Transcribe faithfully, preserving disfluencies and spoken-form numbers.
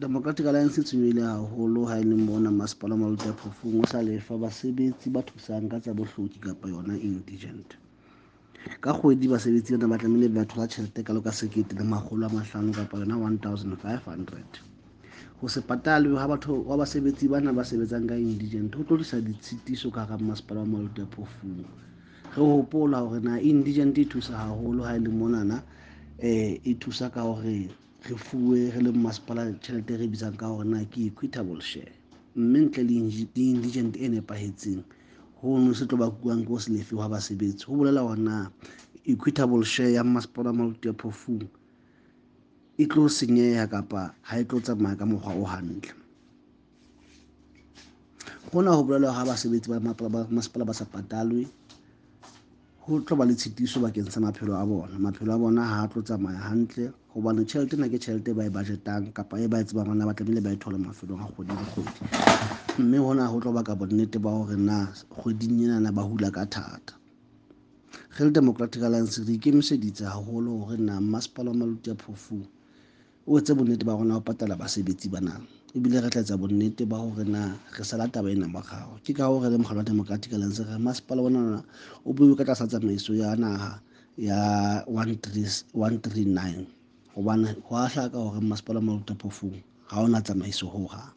Democratic Alliance e tshwenyehile haholo ha e le mona masepala wa Maluti-a-Phofung o sa lefa basebetsi ba thusang ka tsa bohloki kapa yona indigent. Ka kgwedi basebetsi bana ba tlamehile ba thola tjhelete kalo ka sekete le makgolo a mahlano kapa yona one thousand five hundred. Ho se patalwe ha batho wa basebetsi bana ba sebetsang ka indigent ho tlo tlisa ditshitiso ka hara masepala wa Maluti-a-Phofung. Re hopola hore na indigent e thusa haholo ha e le monana, eh e thusa ka hore re fuwe re le masepala tjhelete e re bitsang ka hore na ke equitable share, mme ntle le indigent e nepahetseng hono se tlo bakuwang ke ho se lefe hwa basebetsi. Ho bolela hore na equitable share ya masepala wa Maluti-a-Phofung e tlo senyeha kapa ha e tlo tsamaya ka mokgwa o hantle. Hona ho bolela ha basebetsi ba masepala ba sa patalwe, ho tlo ba le tshitiso bakeng sa maphelo a bona. Maphelo a bona ha a tlo tsamaya hantle hobane tjhelete ena ke tjhelete e ba e budget-ang kapa e ba e tsebang hore na ba tlamehile ba e thole mafelong a kgwedi le kgwedi. Mme hona ho tlo baka bonnete ba hore na kgweding enana ba hula ka thata. Re le Democratic Alliance re ikemiseditse haholo hore na masepala wa Maluti-a-Phofung o etse bonnete ba rona ho patala basebetsi bana, ebile re tla etsa bonnete ba hore na re sala taba ena morao. Ke ka hoo re le mokgatlo wa Democratic Alliance re masepala ona o beuwe ka tlasa tsamaiso ya naha ya one three, one three nine, hobane ho a hlaka hore masepala wa Maluti-a-Phofung ha ona tsamaiso hohang.